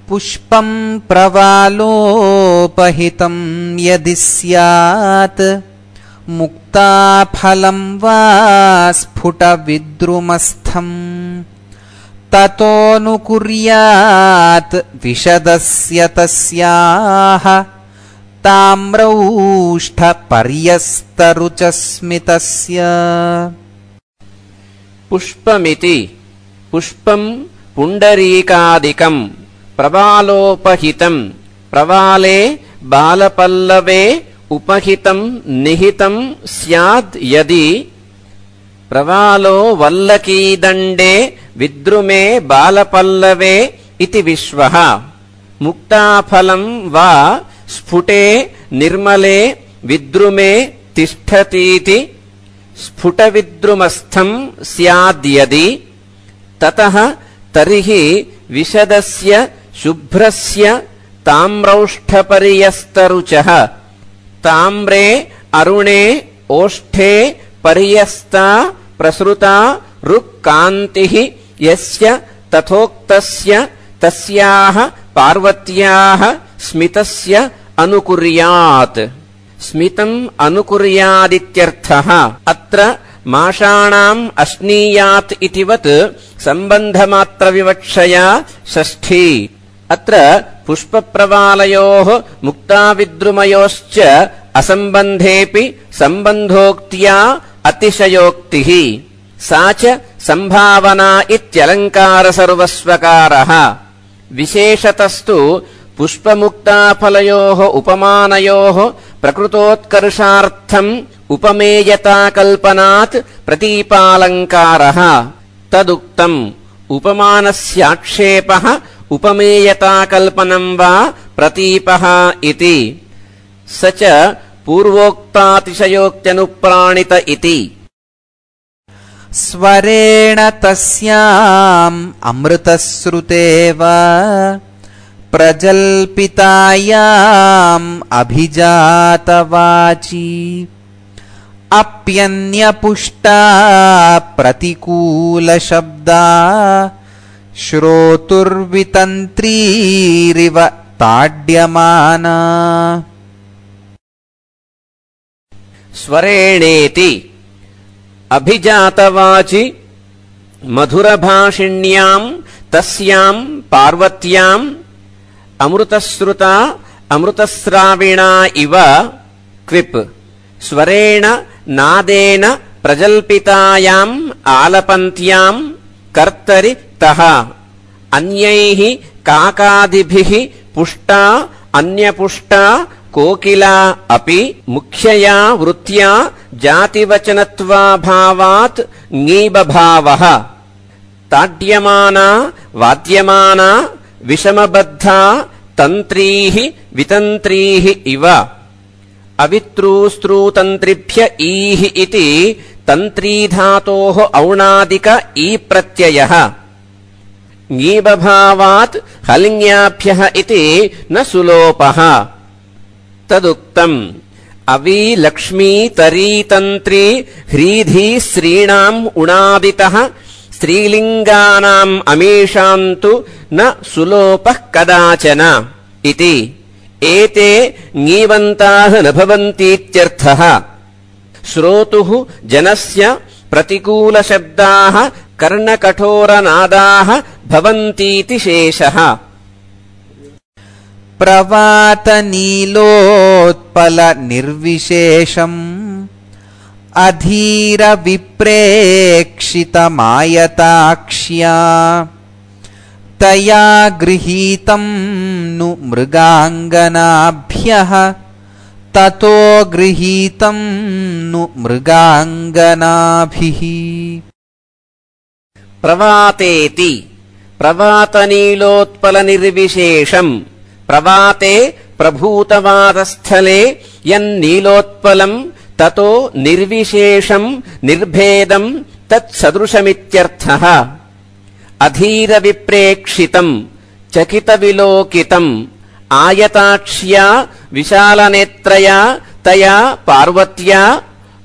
पुष्पं प्रवालोपहितं यदि स्यात् मुक्ताफलं वा स्फुटविद्रुमस्थम् ततोऽनुकुर्यात् विशदस्य तस्याः ताम्रौष्ठपर्यस्तरुचस्मितस्य। पुष्पमिति पुष्पं पुण्डरीकादिकं प्रवालोपहितं प्रवाले बालपल्लवे उपहितं निहितं स्याद् यदि प्रवालो वल्लकीदण्डे विद्रुमे बालपल्लवे इति विश्वः मुक्ताफलं वा स्फुटे निर्मले विद्रुमे तिष्ठतीति स्फुटविद्रुमस्थं स्याद्यदि ततः तर्हि विशदस्य शुभ्रस्य ताम्रौष्ठपर्यस्तरुचः ताम्रे अरुणे ओष्ठे पर्यस्ता प्रसृता रुक्कान्तिः यस्य तथोक्तस्य तस्याः पार्वत्याः स्मितस्य अनुकुर्यात्। स्मितम् अनुकुर्यादित्यर्थः। अत्र माषाणाम् अश्नीयात् इतिवत् सम्बन्धमात्रविवक्षया षष्ठी। अत्र पुष्पप्रवालयोः मुक्ताविद्रुमयोश्च असम्बन्धेऽपि सम्बन्धोक्त्या अतिशयोक्तिः। सा च सम्भावना इत्यलङ्कारसर्वस्वकारः। विशेषतस्तु पुष्पमुक्ताफलयोः उपमानयोः प्रकृतोत्कर्षार्थम् उपमेयताकल्पनात् प्रतीपालङ्कारः। तदुक्तम् उपमानस्याक्षेपः उपमेयताकल्पनम् वा प्रतीपः इति। स च पूर्वोक्तातिशयोक्त्यनुप्राणित इति। स्वरेण तस्याम् अमृतश्रुतेव प्रजल्पितायाम् अभिजातवाची अप्यन्यपुष्टा प्रतिकूलशब्दा श्रोतुर्वितन्त्रीरिव ताड्यमाना। स्वरेणेति अभिजातवाचि मधुरभाषिण्याम् तस्याम् पार्वत्याम् अमृतश्रुता अमृतस्राविणा इव क्विप् स्वरेण नादेन प्रजल्पितायाम् आलपन्त्याम् कर्तरि तः अन्यैः काकादिभिः पुष्टा अन्यपुष्टा कोकिला अपि मुख्यया वृत्त्या जातिवचनत्वाभावात् ङीबभावः ताड्यमाना वाद्यमाना विषमबद्धा तन्त्रीः वितन्त्रीः इव अवित्रूस्त्रूतन्त्रिभ्य ईः इति तन्त्रीधातोः औणादिक ई प्रत्ययः ङीबभावात् हलिङ्याभ्यः इति न सुलोपः। तदुक्तम् अवी लक्ष्मी तरी तन्त्री ह्रीधी स्त्रीणाम् उणादितः स्त्रीलिङ्गानाम् अमीषान्तु न सुलोपः कदाचन इति। एते ङीवन्ताः न भवन्तीत्यर्थः। श्रोतुः जनस्य प्रतिकूलशब्दाः कर्णकठोरनादाः भवन्तीति शेषः। प्रवातनीलोत्पलनिर्विशेषम् अधीरविप्रेक्षितमायताक्ष्या तया गृहीतं नु मृगाङ्गनाभ्यः ततो गृहीतं नु मृगाङ्गनाभिः। प्रवातेति प्रवातनीलोत्पलनिर्विशेषम् प्रवाते प्रभूतवादस्थले यन्नीलोत्पलम् ततो निर्विशेषम् निर्भेदम् तत्सदृशमित्यर्थः। अधीरविप्रेक्षितम् चकितविलोकितम् आयताक्ष्या विशालनेत्रया तया पार्वत्या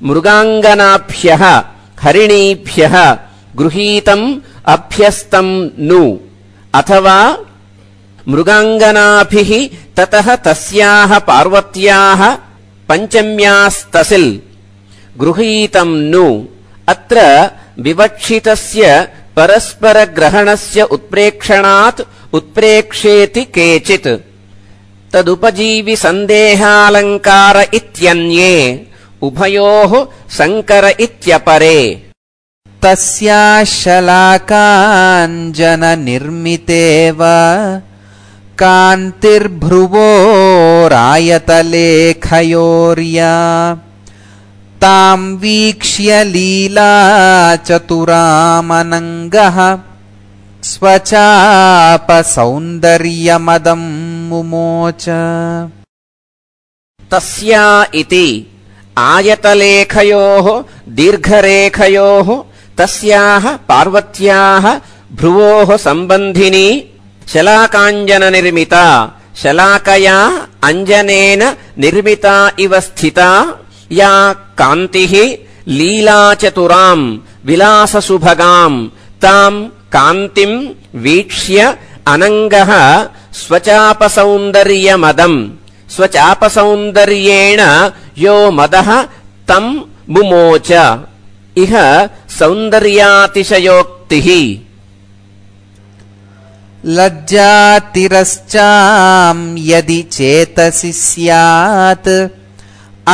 मृगाङ्गनाभ्यः हरिणीभ्यः गृहीतम् अभ्यस्तम् नु अथवा मृगाङ्गनाभिः ततः तस्याः पार्वत्याः पञ्चम्यास्तसिल् गृहीतं नु अत्र विवक्षितस्य परस्परग्रहणस्य उत्प्रेक्षणात् उत्प्रेक्षेति केचित् तदुपजीवि सन्देहालङ्कार इत्यन्ये उभयोः संकर इत्यपरे तस्याशलाकाञ्जननिर्मितेव कान्तिर्भ्रुवोरायतलेखयोर्या तां वीक्ष्य लीलाचतुरामनङ्गः स्वचापसौन्दर्यमदं मुमोच तस्या इति आयतलेखयोः दीर्घरेखयोः तस्याः पार्वत्याः भ्रुवोः सम्बन्धिनी शलाकाञ्जननिर्मिता शलाकया अञ्जनेन निर्मिता इव स्थिता या कान्तिः लीलाचतुराम् विलाससुभगाम् ताम् कान्तिम् वीक्ष्य अनङ्गः स्वचापसौन्दर्यमदम् स्वचापसौन्दर्येण यो मदः तम् मुमोच इह सौन्दर्यातिशयोक्तिः लज्जातिरश्चां यदि चेतसि स्यात्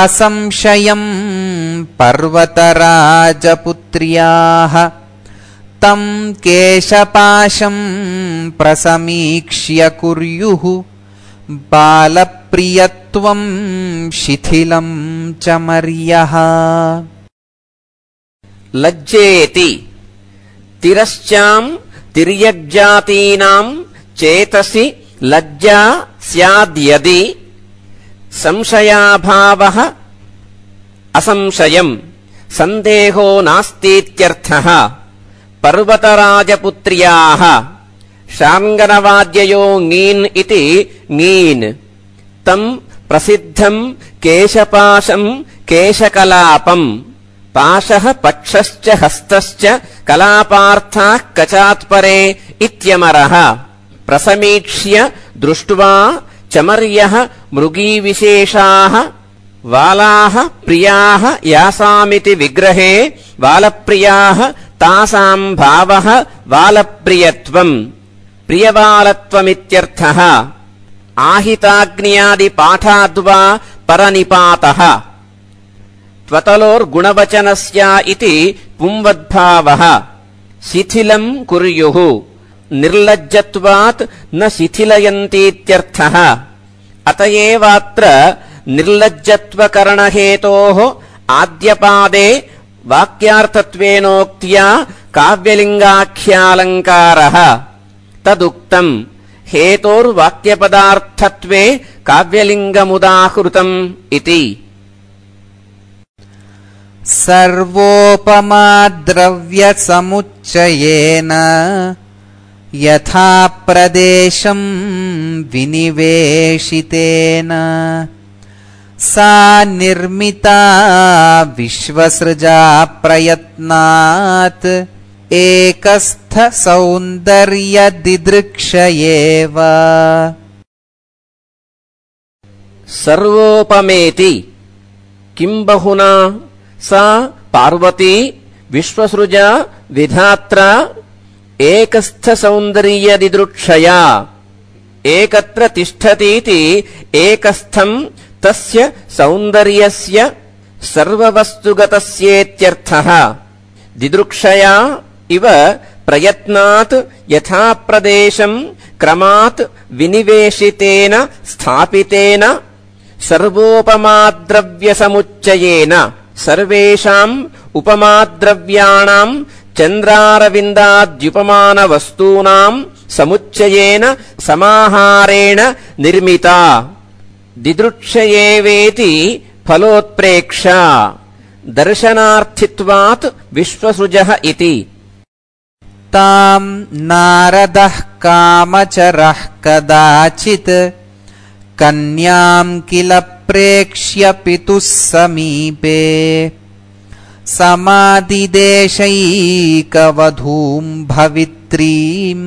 असंशयं पर्वतराजपुत्र्याः तं केशपाशं प्रसमीक्ष्य कुर्युः बालप्रियत्वं शिथिलं च मर्यः लज्जेति तिरश्चां तिर्यग्जातीनां चेतसि लज्जा स्याद्यदि संशयाभावः असंशयम् सन्देहो नास्तीत्यर्थः पर्वतराजपुत्र्याः शार्ङ्गनवाद्ययो ङीन् इति ङीन् तम् प्रसिद्धम् केशपाशम् केशकलापम् पाशः पक्षश्च हस्तश्च कलापार्थाः कचात्परे इत्यमरः प्रसमीक्ष्य दृष्ट्वा चमर्यः मृगीविशेषाः वालाः प्रियाः यासामिति विग्रहे वालप्रियाः तासाम् भावः वालप्रियत्वम् प्रियवालत्वमित्यर्थः आहिताग्न्यादिपाठाद्वा परनिपातः त्वतलोर्गुणवचनस्य इति पुंवद्भावः शिथिलम् कुर्युः निर्लज्जत्वात् न शिथिलयन्तीत्यर्थः अत एवात्र निर्लज्जत्वकरणहेतोः आद्यपादे वाक्यार्थत्वेनोक्त्या काव्यलिङ्गाख्यालङ्कारः तदुक्तम् हेतोर्वाक्यपदार्थत्वे काव्यलिङ्गमुदाहृतम् इति सर्वोपमाद्रव्यसमुच्चयेन यथा प्रदेशं विनिवेशितेन सा निर्मिता विश्वसृजा प्रयत्नात् एकस्थसौन्दर्यदिदृक्षयेव सर्वोपमेति किं बहुना सा पार्वती विश्वसृजा विधात्रा एकस्थसौन्दर्यदिदृक्षया एकत्र तिष्ठतीति एकस्थम् तस्य सौन्दर्यस्य सर्ववस्तुगतस्येत्यर्थः दिदृक्षया इव प्रयत्नात् यथा प्रदेशम् क्रमात् विनिवेशितेन स्थापितेन सर्वोपमाद्रव्यसमुच्चयेन सर्वेषाम् उपमाद्रव्याणाम् चन्द्रारविन्दाद्युपमानवस्तूनाम् समुच्चयेन समाहारेण निर्मिता दिदृक्षयेवेति फलोत्प्रेक्षा दर्शनार्थित्वात् विश्वसृजः इति ताम् नारदः कामचरः कदाचित् कन्याम् किल प्रेक्ष्य पितुः समीपे समादिदेशैकवधूम् भवित्रीम्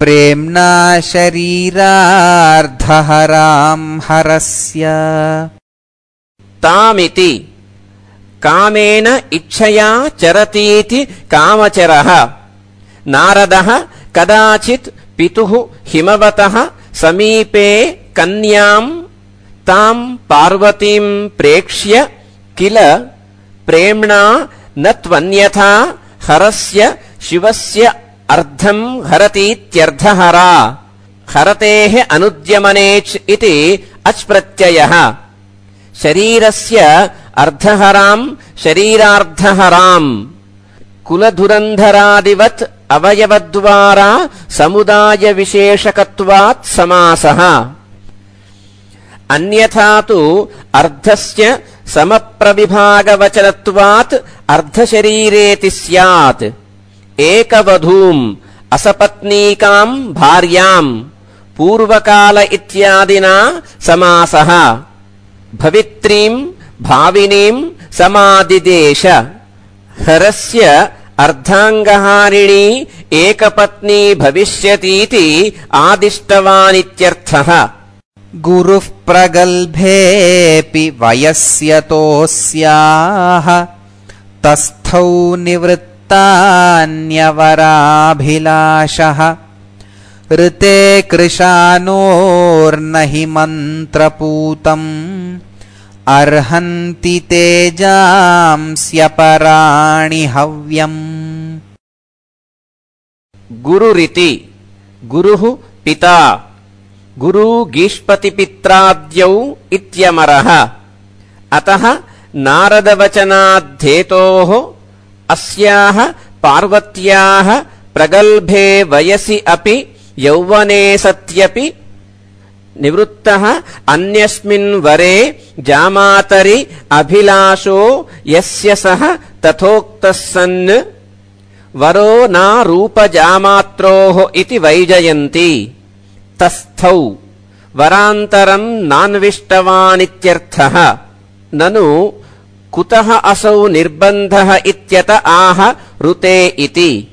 प्रेम्णा शरीरार्धहरां हरस्य। तामिति कामेन इच्छया चरतीति कामचरः। नारदः कदाचित् पितुः हिमवतः समीपे कन्यां तां पार्वतीं प्रेक्ष्य किल प्रेम्णा न त्वन्यथा हरस्य शिवस्य अर्धं हरतीत्यर्धहरा। हरतेः अनुद्यमनेच् इति अच् प्रत्ययः। शरीरस्य अर्धहरां शरीरार्धहरां कुलधुरन्धरादिवत् अवयवद्वारा समुदायविशेषकत्वात् समासः। अन्यथा तु अर्धस्य समप्रविभागवचनत्वात् अर्धशरीरेति स्यात्। एकवधूम् असपत्नीकां भार्यां पूर्वकाल इत्यादिना समासः। भवित्रीं भाविनीं समादिदेश। हरस्य अर्धाङ्गहारिणी एकपत्नी भविष्यतीति आदिष्टवानित्यर्थः। गुरुः प्रगल्भेऽपि वयस्यतोऽस्याः तस्थौ निवृत्तान्यवराभिलाषः। ऋते कृशानोर्न हि मन्त्रपूतम् अर्हन्ति तेजांस्यपराणि हव्यम्। गुरुरिति गुरुः पिता गुरु गीष्पतिपित्राद्यौ इत्यमरः। अतः नारदवचनाद्धेतोः अस्याः पार्वत्याः प्रगल्भे वयसि अपि यौवने सत्यपि निवृत्तः अन्यस्मिन् वरे जामातरि अभिलाषो यस्य सः तथोक्तः सन् वरो नारूपजामात्रोः इति वैजयन्ती। तस्थौ वरान्तरं नान्विष्टवानित्यर्थः। ननु कुतः असौ निर्बन्धः इत्यत आह ऋते इति।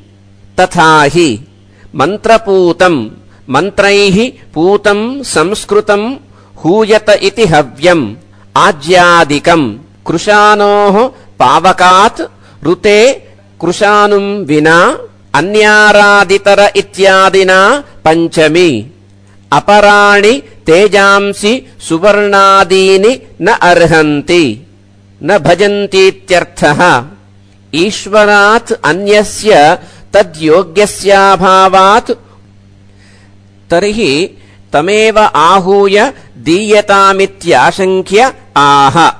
तथा हि मन्त्रपूतं मन्त्रैः पूतं संस्कृतं हूयत इति हव्यम् आज्यादिकम्। कृशानोः पावकात् ऋते कृशानुं विना अन्यारादितर इत्यादिना पञ्चमी। अपराणि तेजांसि सुवर्णादीनि न अर्हन्ति न भजन्तीत्यर्थः। ईश्वरात् अन्यस्य तद्योग्यस्याभावात् तर्हि तमेव आहूय दीयतामित्याशङ्क्य आह।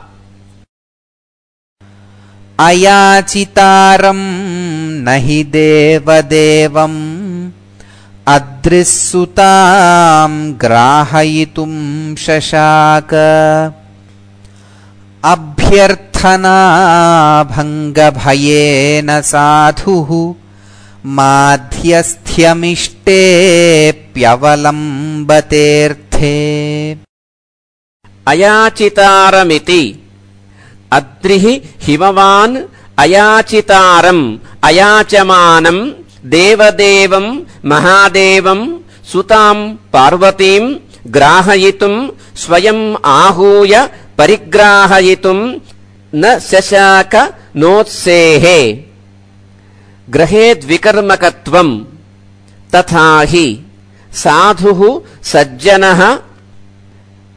अयाचितारम् न हि देवदेवम् अद्रिस्सुताम् ग्राहयितुम् शशाक। अभ्यर्थनाभङ्गभयेन साधुः माध्यस्थ्यमिष्टेऽप्यवलम्बतेऽर्थे। अयाचितारमिति अद्रिः हिमवान् अयाचितारम् अयाचमानम् देवदेवम् महादेवम् सुताम् पार्वतीम् ग्राहयितुम् स्वयम् आहूय परिग्राहयितुम् न शशाक नोत्सेहे। ग्रहेद्विकर्मकत्वम्। तथा हि साधुः सज्जनः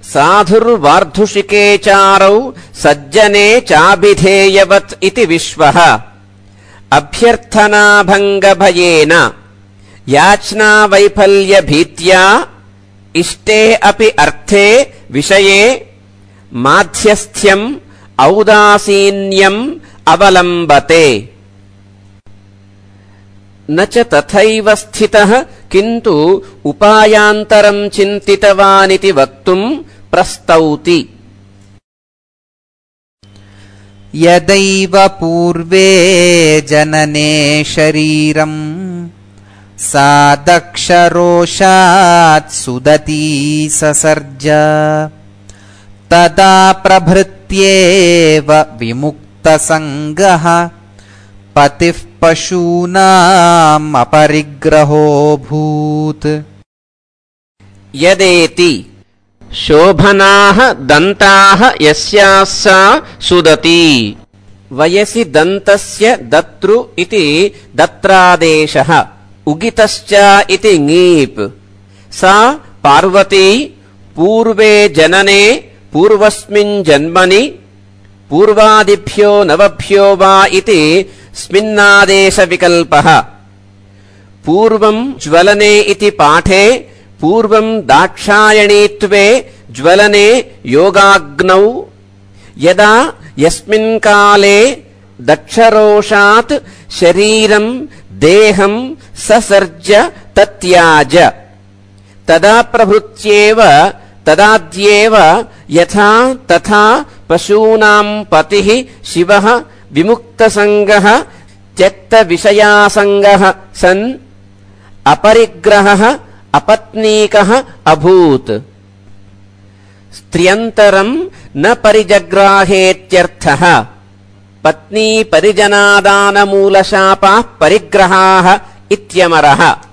साधुर्वार्धुषिकेचारौ सज्जने चाभिधेयवत् इति विश्वः। अभ्यर्थनाभङ्गभयेन याचनावैफल्यभीत्या इष्टे अपि अर्थे विषये माध्यस्थ्यम् औदासीन्यम् अवलम्बते। न च तथैव स्थितः किन्तु उपायान्तरम् चिन्तितवानिति वक्तुम् प्रस्तौति। यदैव पूर्वे जनने शरीरम् सा दक्षरोषात् सुदती ससर्ज। तदा प्रभृत्येव विमुक्तसङ्गः पतिः पशूनाम् अपरिग्रहोऽभूत्। यदेति शोभनाः दन्ताः यस्याः सा सुदती। वयसि दन्तस्य दत्रु इति दत्रादेशः, उगितश्च इति ङीप्। सा पार्वती पूर्वे जनने पूर्वस्मिन् जन्मनि पूर्वादिभ्यो नवभ्यो वा इति स्मिन्नादेशविकल्पः। पूर्वं ज्वलने इति पाठे पूर्वं दाक्षायणीत्वे ज्वलने योगाग्नौ। यदा यस्मिन् काले दक्षरोषात् शरीरं देहं ससर्ज तत्याज, तदा प्रभृत्येव तदाद्येव यथा तथा पशूनां पतिः शिवः विमुक्तसङ्गः त्यक्तविषयासङ्गः सन् अपरिग्रहः अपत्नीकः अभूत्। स्त्रियन्तरं न परिजग्राहेत्यर्थः। पत्नी परिजनादानमूलशापाः परिग्रहाः इत्यमरः।